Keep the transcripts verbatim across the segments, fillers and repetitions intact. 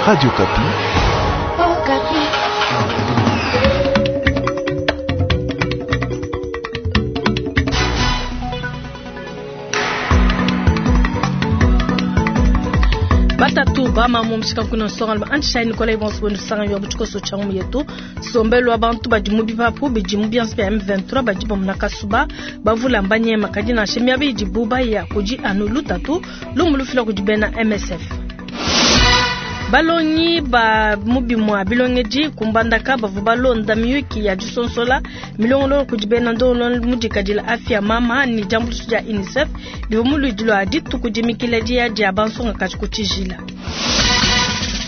Radio Okapi. Oh, Okapi. Batatu bamamu mushika kuna nsonga antishayi Nikolai bonso bwenu sanga yo butshikoso tsha mu yetu sombelo abantu badi mu bipapu bidi mu byanza bya M vingt-trois badi bamuna kasuba bavula mbanyema kadi nansha miaba idibu baya kudi anu lutatu lumu lufila kudi bena M S F. Balongi ba mubimwa bilongedi kumbandaka bavu balonda miyuki ya disonsola milongolo kudi bena ndolo mudikadila afya mama ni jambulisho dia UNICEF bivu muludi lwa dituku dimikila dia dia bansonga kati kutshijila.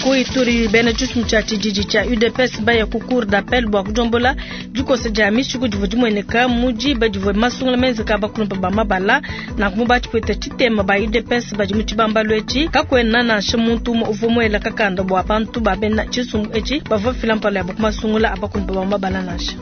Ku Ituri bena tshisumbu tshia tshididi tshia U D P S baya ku cour d'appel bua kudombola dikosa dia mishiku divua dimueneka mu diba divua masungula menzeka bakulumpa ba mabala na kumba tshipeta tshitema ba U D P S badi mu tshibambalu etshi kakuena nansha muntu umue uvua muela kakanda bua bantu ba bena tshisumbu etshi bavua bafila mpala yabo ku masungula a bakulumpa ba mabala nansha.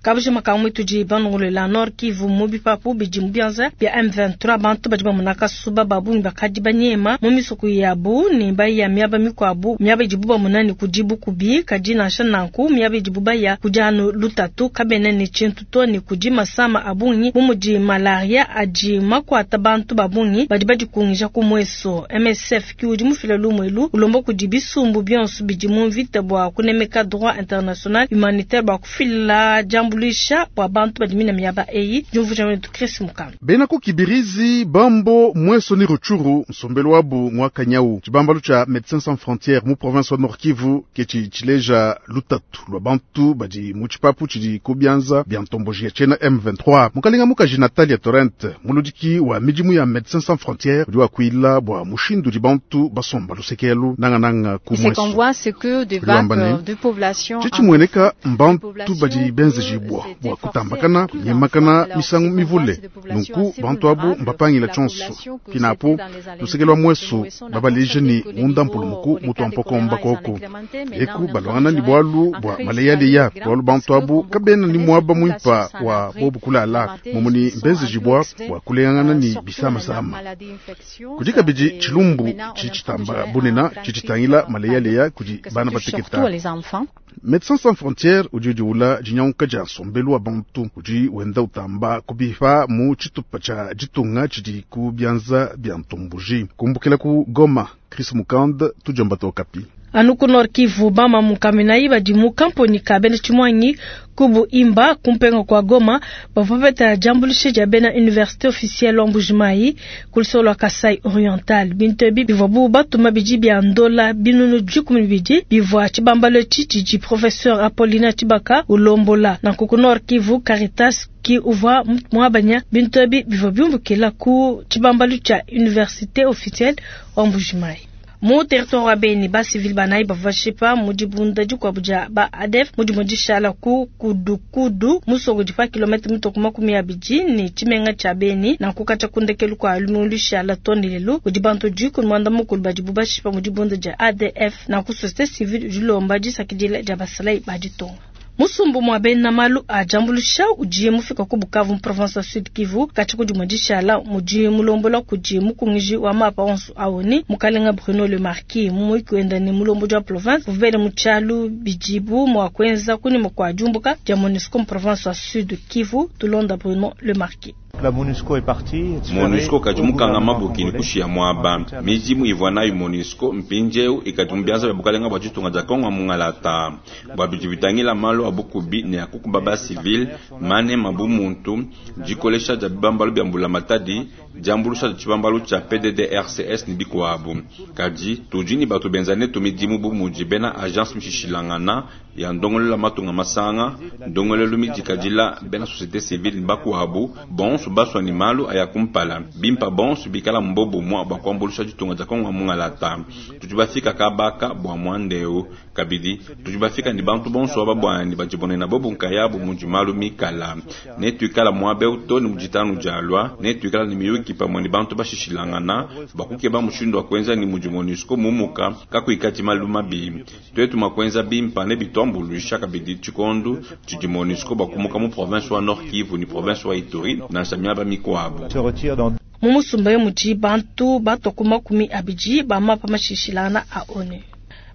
Kabujima ka mwitu di banongolo Nord Kivu mu bipapu bidi mu byanza bya M vingt-trois bantu badi bamona kasuba babungi bakadi banyema mu misoko yabu ne baya miaba mikwabu miaba idibu bamona ne kudi bukubi kadi nansha nanku miaba idibu baya kudi anu lutatu kabena ne tshintu to ne kudi masama abungi bu mudi malaria adi makwata bantu babungi badi badikungija ku mweso. M S F ki udi mufila lumwelu ulomba kudi bisumbu bionso bidi mu mvita bua kunemeka droit international humanitaire bua kufila jambo kulisha bua bantu badi mina miaba eyi jumvuja wetu Chris Mukanga. Bena ku Kibirizi bambo mweso ni Rutshuru nsombelo wabu mwaka nyau tshibambalu tsha Médecins Sans Frontières mu province wa Nord Kivu ke tshi tshileja lutatu lwa bantu badi mu tshipapu tshidi ku bianza bia ntomboji ya tshena M vingt-trois. Mukalenga mukaji Natalia Torrent muludiki wa midimu ya Médecins Sans Frontières udi wakuila bua mushindu di bantu basomba lusekelu nanga nanga ku Ce mweso. qu'on voit, c'est que des Udi wamba vagues ne, de population tshitshi mueneka mbantu population badi benzeji bua s'est bua efforcée kutambakana plus kunyemakana d'enfants. misangu Alors, mivule. c'est des populations Nunku assez bantu abu vulnérables, mbapangila la tshonso. population que Pinapo, c'était dans les alentours lusekelo lwa de mweso Mweso, on a babaleje constaté ni que les munda niveaux mpulumuku les mutu cas de wa mpokomba choléra, ils en koko. incrémentaient. Maintenant, Eku on est en train de balwangana ni gérer bwalu un bwa crise maleyaleya, grave bwalu bantu parce que, abu comme vous kabena ni comprenez, mwaba cette mwimpa population wa sans abri, bobu kulala, matin, momuni ils sont mbenzeji un peu bwa exposés, bwa kuleyangana euh, ni surtout bisamasama. la maladie infectieuse, Kudi kabidi et tshilumbu maintenant, on est en train de tshitshitamba gérer un bunena grand tshitshitangila crise, maleyaleya kudi que ça bana touche bateketa. surtout les enfants. Médecins Sans Frontières udi udiwula dinyanguka dia nsombelu wa bantu udi wenda utamba kubipa mu tshitupa tshia ditunga tshidi ku bianza bia ntomboji. Kumbukila ku Goma, Chris Mukand, tujamba to Okapi. Anu ku Nord Kivu bama mukaminayi badi mu kamponi ka bena tshimwanyi kubu imba kumpenga kwa Goma bavua bapeta diambuluisha dia bena université officielle wa Mbujimayi ku lusolo lwa Kasai Oriental. Bintu ebi bivua bu batuma bidi bia ndola binunu dikumi ne bibidi bivua tshibambalu etshi tshidi professeur Apollinaire Tshibaka ulombola. Nanku ku Nord Kivu Caritas ki uvua muabanya bintu ebi bivua biumbukila ku tshibambalu tshia université officielle wa Mbujimayi. Mu territoire wa Beni, ba civil banayi bavua bashipa mu dibunda dikuabu dia ba A D F mu dimue dishala ku Kudukudu musoko di pa kilomètre mitoko makumi abidi ne tshimenga tshia Beni. Nanku katshia ku ndekelu kua lumingu lushala too ne lelu kudi bantu dikumi muanda mukulu badibu bashipa mu dibunda dia A D F. Nanku société civile udi ulomba disakidila dia basalayi ba ditunga. Musumbu mwa bena malu a diambuluisha udi mufika ku Bukavu mu province ya Sud Kivu katshia ku dimue dishala mudi mulombola kudi mukungiji wa mapa onso awoni mukalenga Bruno Le Marquis mu muyuki wenda ne mulombodi wa province uvele mu tshialu bidibu mua kuenza kunyima kua diumbuka dia MONUSCO mu province ya Sud Kivu. Tulonda Bruno Le Marquis. La MONUSCO est partie. MONUSCO kadi mukanga mabuki ni kushia mwaba. Mizimu ivua nayo MONUSCO mpinjeu ikadumbianza bya bukalenga bwa ditunga dia Kongo mungalata. Bwa bidi bitangila malu abukubi ne akukuba ba civil mane mabu muntu dikolesha dia bibambalu bya mbula matadi diambulusha dia tshibambalu tshia P D D R C S ni bikuabu. Kadi tudi ni batu benzane tu midimu bu mudi bena agence mishishilangana ya ndongolola matunga masanga ndongolelo midikadila bena société civile ni bakuabu bonso baswa ni malu aya kumpala bimpa bonso bikala mbobo mwa bwa kuambulusha ditunga dia Kongo mungalata. Tudi bafika kabaka bwa mwandeu kabidi tudi bafika ni bantu bonso aba bwani badibonena bobu nkayabu mudi malu mikala ne tuikala mwabe uto ni muditanu dialwa ne tuikala ni miyuki pamwe ni bantu bashishilangana bakukeba mushindu wa kuenza ni mudi MONUSCO mumuka kakuikati malu mabi twetu makwenza bimpa ne bitwambuluisha kabidi tshikondu tshidi MONUSCO bakumuka mu province wa Nord Kivu ni province wa Ituri nansha miaba mikuabu. Se retire dans Mu musumba mudi bantu batua ku makumi abidi ba mapa mashishilangana a O N U.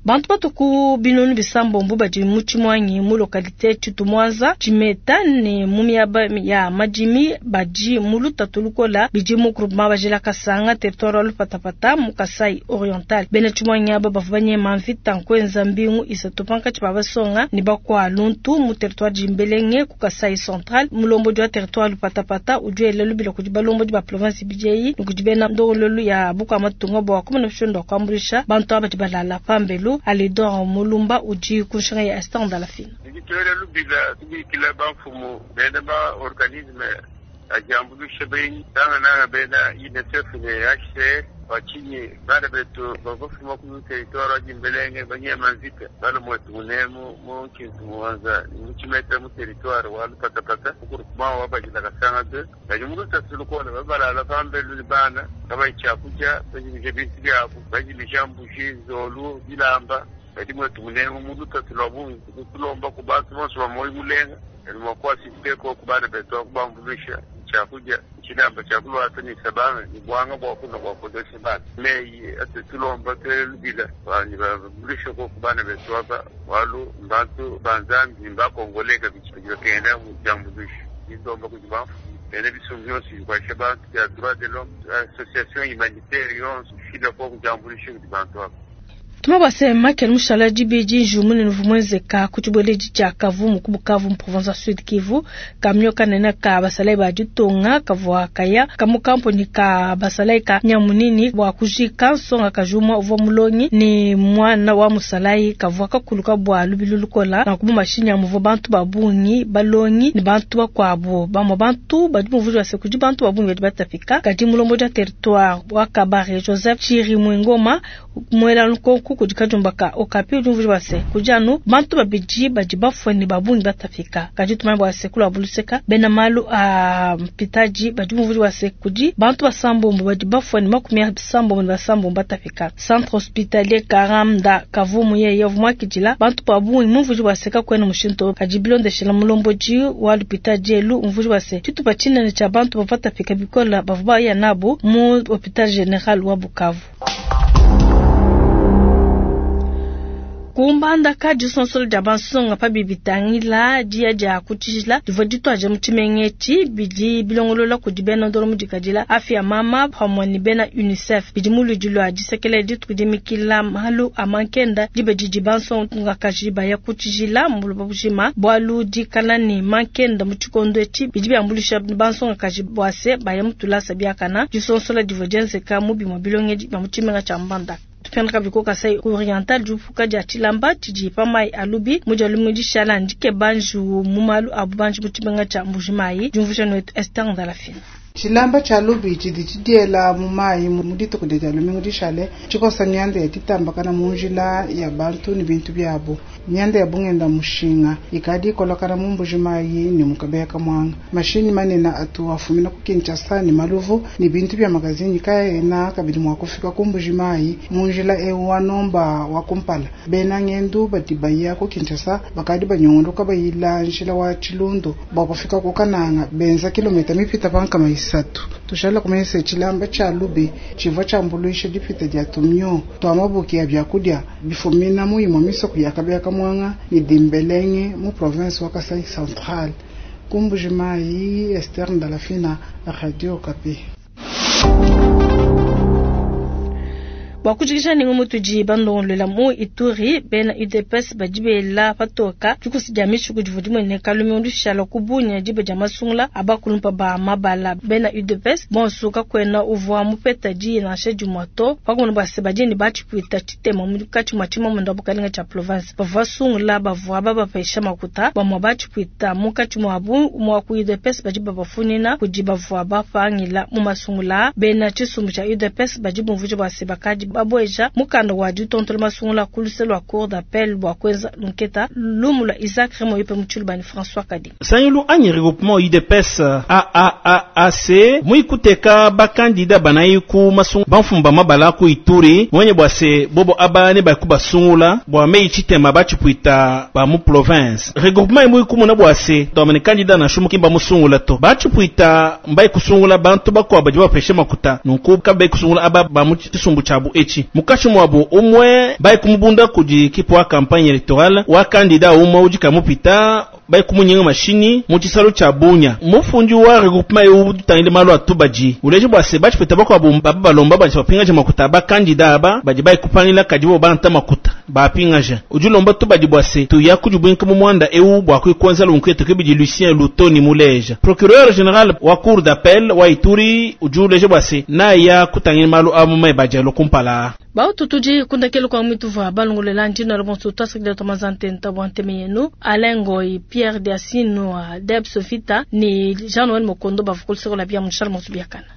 Bantu batuku binunu bisambombo badi mu tshimuangi mu localité Tshitumwanza Tshimeta ne mu miaba ya madimi badi mu lutatu lukola bidi mu groupement Bajela Kasanga, territoire wa Lupatapata, mu Kasai Oriental. Bena tshimuangi aba bavua banyema mvita nkwenza mbingu isatu pankatshi pa basonga ne bakwa luntu mu territoire Dimbelenge ku Kasai Central. Mulombodi wa territoire Lupatapata udi wela lubila kudi balombodi ba province B J I ne kudi bena ndongololu ya bukua matunga bua kumona mushindu wa kuambuluisha bantu aba badi balala pambelu. Alidor Mulumba udi ku nshinga ya Esther Ndalafina. Tudi lubila tubikila bamfumu bena ba organisme ajambuluisha benyi tangananga bena UNICEF ne H C R bachinyi bana betu bavafuma ku territoire wa Dimbelenge banyema mvita bana mwetu munemu mu nkintu muwanza mu Tshimeta mu territoire wa Lupatapata mu groupement wa Bajila Kasanga deux badi mu lutatu lukola babalala pambelu ni bana kabayi tshiakudia bajimija bintu byabo bajimija mbuji nzolu bilamba badi mwetu munemu mu lutatu lwa bungi. Tulomba ku bantu bonso ba moyi mulenga eni mwakuasisteko ku bana betu akubambuluisha tshiakudia tshilamba tshiakulwata ni sabanga ni bwanga bwakuna bwakodesha bana meyi ate tulomba twelubila bani babambuluisha ko ku bana betu aba walu mbantu banzambi mbakongoleka bidi bakenda mu jambuluisha indomba kudi bamfumu bena bisumbu byonso bikwasha bantu bya droit de l'homme association humanitaire yonso fila ko kujambulisha kudi bantu aba. Tuma basema Michael Mushala dibidi njumu ne vumwenzeka ku tshibweledi tshia Kavumu ku Bukavu mu province ya Sud Kivu. Kamio kanene ka basalai ba ditunga kavua kaya kamu kampuni ka basalai ka nyamunini bua kujika nsonga kajumwa uvua mulongi ne mwana wa musalai kavua kakuluka bua lubilu lukola na kumu mashinyi muvua bantu ba bungi balongi ne bantu bakuabu. Bamue bantu badi muvuji base kudi bantu ba bungi badi batapika kadi mulombodi wa territoire wa Kabare Joseph Chiri Mwingoma muela lukonku kudi kajumba ka Okapi udi mvuji base kudi anu bantu babidi badi bafue ne babungi batapika. Kadi tumanye bua se kulu buluseka bena malu a mpitaji badi mvuji base kudi bantu basambombo badi bafue ne makumi asambombo ne basambombo batapika. Centre hospitalier Karamda Kavumu yeye vumwakidila bantu babungi mumvuji base kakwena mushinto kadi bilondeshela mulombodi wa lupitadi elu mvuji base tshitupa tshinene tshia bantu bavatapika bikola bavua baya nabo mu hôpital général wa Bukavu. Kumbandaka disonsolo dia bansonga pa bibitangila dia dia kutshijila divua dituaja mu tshimenga etshi bidi bilongolola kudi bena ndolo mudikadila Afia Mama pamue ne bena UNICEF bidi mu ludi lua disekela dituku dimikila malu a mankenda diba didi bansongakaji baya kutshijila mu buloba bujima bualu dikala ne mankenda mu tshikondo etshi bidi biambuluisha bansongakaji bua se baya mu tulasa biakana. Disonsola divua dienzeka mu bimue bilongedi bia mu tshimenga tshia Mbandaka. Tupenda kabidi ku Kasai Oriental diupuka dia tshilamba tshidi pa mai alubi mu dia lumu dishala ndikeba njiwu mu malu a bubanji mu tshimenga tshia Mbujimayi. Diumvuija wetu Esther Ndalafina. Tshilamba tshia lubi tshidi tshidiela mu mayi mu dituku dia lumingu dishale tshikosa mianda ya ditambakana mu njila ya bantu ne bintu biabu. Mianda ya bungenda mushinga ikadi ikolokana mu Mbujimayi ne mu Kabeya Kamwanga. Mashinyi manene atu afumina ku Kinshasa ne maluvu ne bintu bia magazini kaena kabidi mua kufika ku Mbujimayi mu njila eu wa nomba wa kumpala. Bena ngendu badi baya ku Kinshasa bakadi banyunguluka bayila njila wa Tshilundu bua kufika ku Kananga benza kilomita mipita pa nkama isatu. Tushala kumanyisa tshilamba tshia lubi tshivua tshiambuluisha dipita dia tumio tua mabuki ya biakudia bifumina mu imue misoko ya Kabeya Kamwanga ne Dimbelenge mu province wa Kasai Central. Ku Mbujimayi, Esther Ndalafina, Radio Okapi. Bua kujikisha ningu mutudi bandongolola mu Ituri bena U D P S badi bela patoka dikusi dia mishiku divua dimueneka lumingu lushala ku Bunia diba dia masungula abakulumpa ba mabala. Bena U D P S bonso kakwena uvua mupeta diyi nansha dimue to pakumona bua se badi ne batshipwita tshitema mukatshi mua tshimamunda bukalenga tshia province. Bavua basungula bavua babapesha makuta bamue batshipwita munkatshi muabu mua ku U D P S badi babafunina kudi bavua bapangila mu masungula. Bena tshisumbu tshia U D P S badi bumvuija bua se bakadi Babueja mukanda wa ditontola masungula ku luse lua cour d'appel bua kuenza lunketa lumu lua Isaac Remoyope mu tshiluba ne François Kadi. Sangilu anyi regroupement U D P S A A A A C muikuteka bakandida banayi ku masungu bamfumu ba mabala ku Ituri mwenye bua se bobo aba ne baku basungula bua mei tshitema batshipwita ba mu province. Regroupement imwe kumuna bua se twamene kandida na shumu kimba musungula to batshipwita mbai kusungula bantu bakuabu badi bapeshe makuta nunku kabe kusungula aba ba mu tshisumbu tshiabu etshi mukashi muabu umwe bai kumubunda kudi kipu wa campagne électorale wa kandida umwe udi kamupita bai kumunyinga mashini mu tshisalu tshia Bunya. Mufundi wa regroupement eu tutangile malu atubadi uleje bua se batshipwita bakuabu baba balomba badi bapingaje makuta bakandida aba badi bai kupangila kadi bo banta makuta bapingaja. Udi ulomba tubadi bua se tuya kudi mu mwanda eu bua kuikwenza lunketu kibidi Lucien Lutoni muleja procureur général wa cour d'appel wa Ituri udi uleje bua se naya kutangila malu amu mai badialo kumpala. Bautu tudi kundakelo kwa mituva balongolela ndino bonso twasakidila twamazantenta bua nteme yenu Alain Ngoy, Pierre Diasino, Deb Sofita ni Jean Noël Mokondo bavukuliseko la bia munshala monso biakana.